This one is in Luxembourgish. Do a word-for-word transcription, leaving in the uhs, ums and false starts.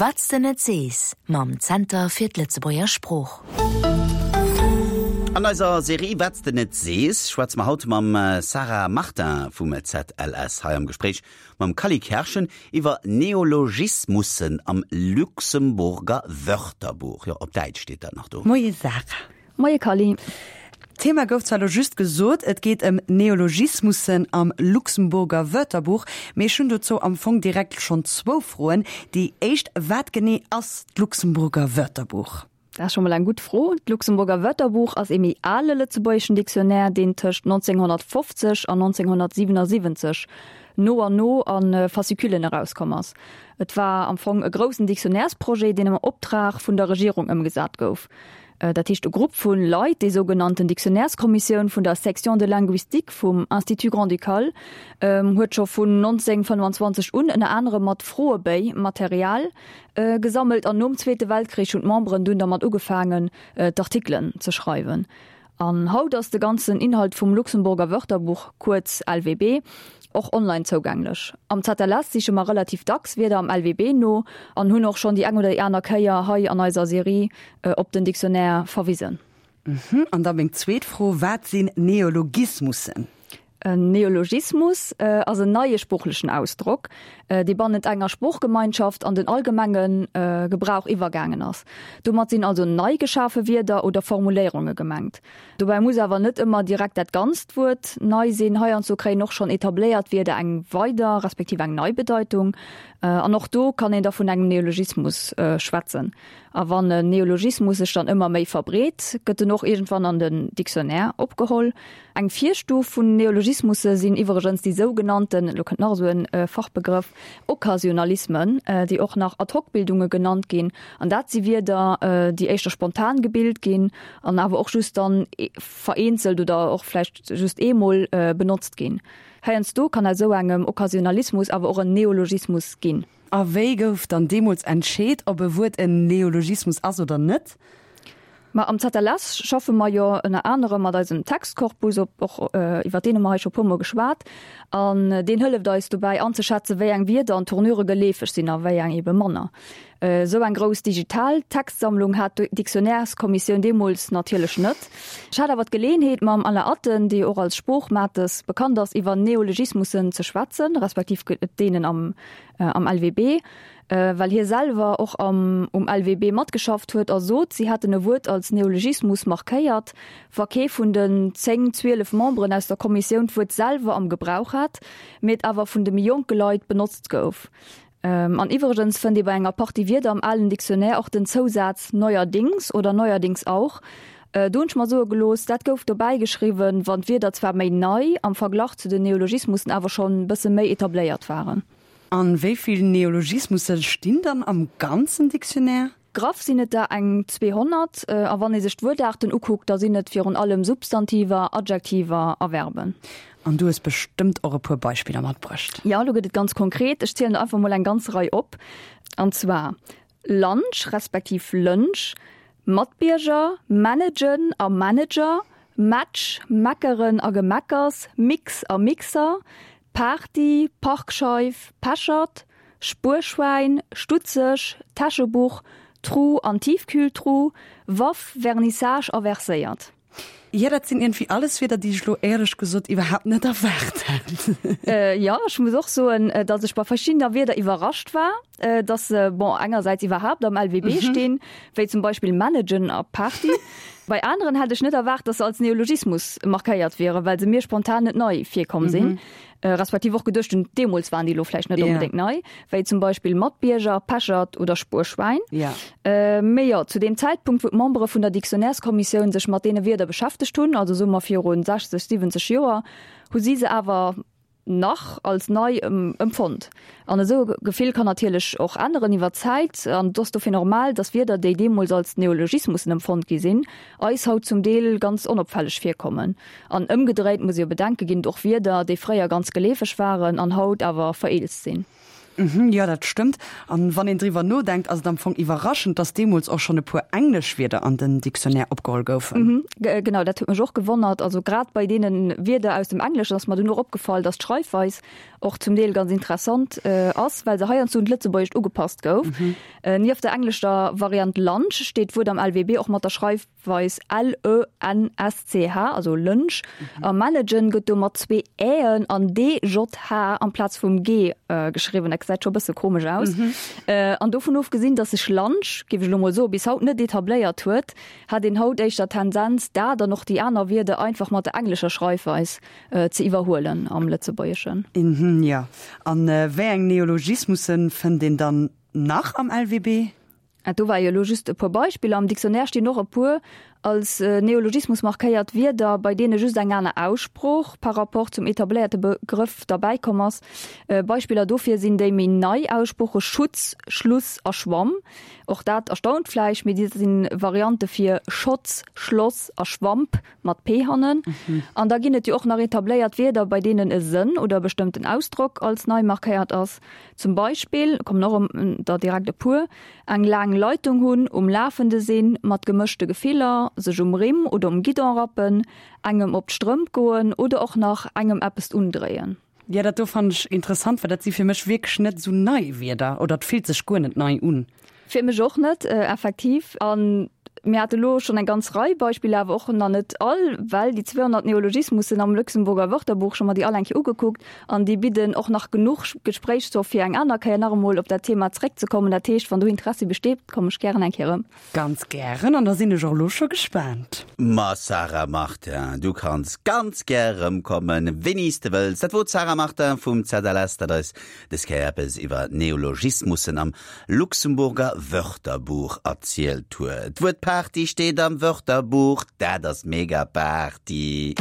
Wat s de net sees mam Zenter fir d'Lëtzebuerger Sprooch. An eiser Serie Wat s de net sees schwätze mer haut mam Sarah Martin vum Z L S, hei am Gespréich mam Kally Kerschen iwwer Neologismussen am Luxemburger Wörterbuch. Jo, op Däitsch steet dat nach do. Moie Sarah. Moie Kally. D'Thema gouf zwar lo just gesot, et geet ëm Neologismussen am Luxemburger Wörterbuch, mee ech hunn dozou am Fong direkt schonn zwou Froen. Déi éischt, wat genee ass d'Luxemburger Wörterbuch? Dat ass scho mol eng gutt Fro. D'Luxemburger Wörterbuch ass ee méi ale lëtzebuergeschen Dictionnaire, deen tëscht nonzénghonnertfofzeg an nonzénghonnertsiwenasiwwenzeg no an no a Fascicullen erauskomm ass. Et war am Fong e groussen Dictionnairesprojet, deen am Optrag vun der Regierung ëmgesat gouf. Dat heescht e Grupp vu Leit, déi sougenannten Dictionnaireskommissioun vun der Section de linguistique vum Institut grand-ducal, huet scho vun nonzénghonnertfënnfanzwanzeg un ënner anerem mat Froebéi Material gesammelt an nom Zweete Weltkrich hunn d'Memberen dunn dermat ugefaangen, d'Artikelen ze schreiwen. An haut ass de ganzen Inhalt vum Luxemburger Wörterbuch, kuerz L W B, och online zougänglech. Am Z L S siche mer relativ dacks Wierder am L W B no an hunn och schonn déi eng oder déi aner Kéier hei an eiser Serie op den Dictionnaire verwisen. Mhm. An da meng zweet Fro, Wat sinn Neologismussen? En Neologismus ass en neie sproochlechen Ausdrock, dee bannent enger Sproochgemeinschaft an den allgemenge Gebrauch iwwergaangen ass. Domat sinn also nei geschafe Wierder oder Formuléierunge gemengt. Dobäi muss awer net ëmmer direkt dat ganzt Wuert nei sinn, heiansdo kréien och schonn etabléiert Wierder eng weider respektiv eng nei Bedeitung. An och do kann een da vun engem Neologismus schwätzen. A wann en Neologismus sech dann ëmmer méi verbreet, gëtt en och iergendwann an den Dictionnaire opgeholl. Eng Virstuf vun Neologismusse sinn iwwregens déi sougenannten, elo kënnt nach esou en Fachbegrëff, Okkasionalismen, déi och nach Ad-hoc-Bildunge genannt ginn. An dat si Wierder, déi éischter spontan gebilt ginn an awer och just dann vereenzelt oder och vläicht just eemol benotzt ginn. Heiansdo kann aus esou engem Okkasionalismus awer och en Neologismus ginn. A wéi gouf dann deemools entscheet, ob e Wuert en Neologismus ass oder net? Ma am Z L S schaffe mer jo ënner anerem mat eisem Textkorpus, op och iwwer deen hu mer hei scho puer mol geschwat, an deen hëlleft eis dobäi anzeschätzen, wéi eng Wierder an Tournure geleefeg sinn a wéi eng ebe manner. Esou eng grouss digital Textsammlung hat d'Dictionnaireskommissioun deemools natierlech net. Ech hat awer d'Geleeënheet, mam Alain Atten, dee och als Sproochmates bekannt ass, iwwer Neologismussen ze schwätzen, respektiv deenen am am L W B, well hie selwer och am um L W B matgeschafft huet a sot, si hätten e Wuert als Neologismus markéiert, wa kee vun den zéng, zwielef Memberen aus der Kommissioun d'Wuert selwer am Gebrauch hat, mee et awer vun de méi jonke Leit benotzt gouf. An iwwregens fënnt ee bei enger Partie Wierder am alen Dictionnaire och den Zousaz neuerdings oder neuerdings auch. Do hunn ech mer soe gelooss, dat gouf dobäi geschriwwen, wann d'Wierder zwar méi nei am Verglach zu den Neologismussen, awer schonn e bësse méi etabléiert waren. An wéi vill Neologismusse stinn dann am ganzen Dictionnaire? Graff sinn et der eng zweehonnert, a wann ee sech d'Wuertaarten ukuckt, da sinn et virun allem Substantiver, Adjektiver a Verben. An du hues bestëmmt och e puer Beispiller matbruecht. Jo, elo gëtt et ganz konkret. Ech zielen der einfach mol eng ganz Rei op. An zwar Lunch respektiv Lënch, Matbierger, managen a Manager, Match, meckeren a Gemeckers, Mix a Mixer, Party, Parkscheif, Pechert, Spuerschwäin, stutzeg, Täschebuch, Tru an Tiefkühltruh, Waff, Vernissage a verséiert. Jo, dat sinn iergendwéi alles Wierder, déi ech elo éierlech gesot iwwerhaapt net erwaart hätt. Jo, ech muss och soen, datt ech bei verschiddener Wierder iwwerrascht war, datt se, bon, engersäits iwwerhaapt am L W B stinn, wéi zum Beispill managen a Party. Bei aneren hätt ech net erwaart, datt se als Neologismus markéiert wieren, well se mir spontan net nei virkomm sinn, respektiv och geduecht hunn, deemools waren déi elo vläicht net onbedéngt nei, wéi zum Beispill Matbierger, Pechert oder Spuerschwäin. Mee jo, zu deem Zäitpunkt, wou d'Membere vun der Dictionnaireskommissioun sech mat deene Wierder beschäftegt hunn, also soe mer viru sechzeg, siwwenzeg Joer, hu si se awer nach als nei empfonnt. An esou e Gefill kann natierlech och änneren iwwer d'Zäit, an et ass dofir normal, datt Wierder, déi deemools als Neologismussen empfonnt gi sinn, eis haut zum Deel ganz onopfälleg virkommen. An ëmgedréit muss ee jo bedenken, ginn et och Wierder, déi fréier ganz geleefeg waren an haut awer vereelzt sinn. Mhm, jo, dat stëmmt. An wann een driwwer nodenkt, ass et am Fong iwwerraschend, dass deemools och schonn e puer englesch Wierder an den Dictionnaire opgeholl goufen. Mhm, genau, dat huet mech och gewonnert. Also grad bei deene Wierder aus dem Engleschen ass mer dunn och opgefall, dass d'Schreifweis och zum Deel ganz interessant ass, well se heiansdo un d'Lëtzebuergescht ugepasst gouf. Nieft der englescher Variant Lunch steet d'Wuert am LWB och mat der Schreifweis L-E-N-S-C-H, also Lënsch. A managen gëtt do mat zwee Äen an D-J-H amplaz vum G geschriwwen. Dat gesäit scho e bësse komesch aus. An dovun ofgesinn, datt sech Lunch, géif ech elo mol soen, bis haut net etabléiert huet, hat een haut éischter d'Tendenz, dat an och déi aner Wierder einfach mat der englescher Schreifweis ze iwwerhuelen am Lëtzebuergeschen. Mhm, jo. An wéi eng Neologismusse fënnt een dann nach am LWB? Do war jo elo just e puer Beispiller. Am Dictionnaire stinn och e puer als Neologismus markéiert Wierder, bei deene just eng aner Aussprooch par rapport zum etabléierte Begrëff derbäikomm ass. Beispiller dofir sinn déi méi nei Aussprooche Schutz, Schluss a Schwamm. Och dat erstaunt vläicht, mee déi si Variante fir Schotz, Schloss a Schwamp mat p hannen. An da ginn et jo och nach etabléiert Wierder, bei deenen e Sënn oder e bestëmmten Ausdrock als nei markéiert ass. Zum Beispill, kommen och der direkt e puer, eng laang Leitung hunn, um Lafende sinn, mat gemëschte Gefiller, sech um Rimm oder um Guidon rappen, engem op d'Strëmp goen oder och nach engem eppes undréien. Jo, dat do fannen ech interessant, well dat si fir mech wierklech net esou nei Wierder oder et fillt sech guer net nei un. Fir mech och net, effektiv. A mir hate lo schonn eng ganz Rei Beispiller, awer och nach net all, well déi zweehonnert Neologismussen am Luxemburger Wörterbuch, ech hu mer déi all eng Kéier ugekuckt, an déi bidden och nach genuch Gespréichsstoff, fir eng aner Kéier nach emol op dat Thema zeréckzekommen. Dat heescht, wann do Interessi besteet, kommen ech gären eng Kéier erëm. Ganz gären, an da sinn ech och elo scho gespaant. Ma Sarah Martin, du kanns ganz gär erëmkommen, wéini s de wëlls. Dat wor d'Sarah Martin vum ZLS, dat eis dës Kéier eppes iwwer Neologismussen am Luxemburger Wörterbuch erzielt huet. D'Wuert Party steet am Wörterbuch, dat ass mega Party.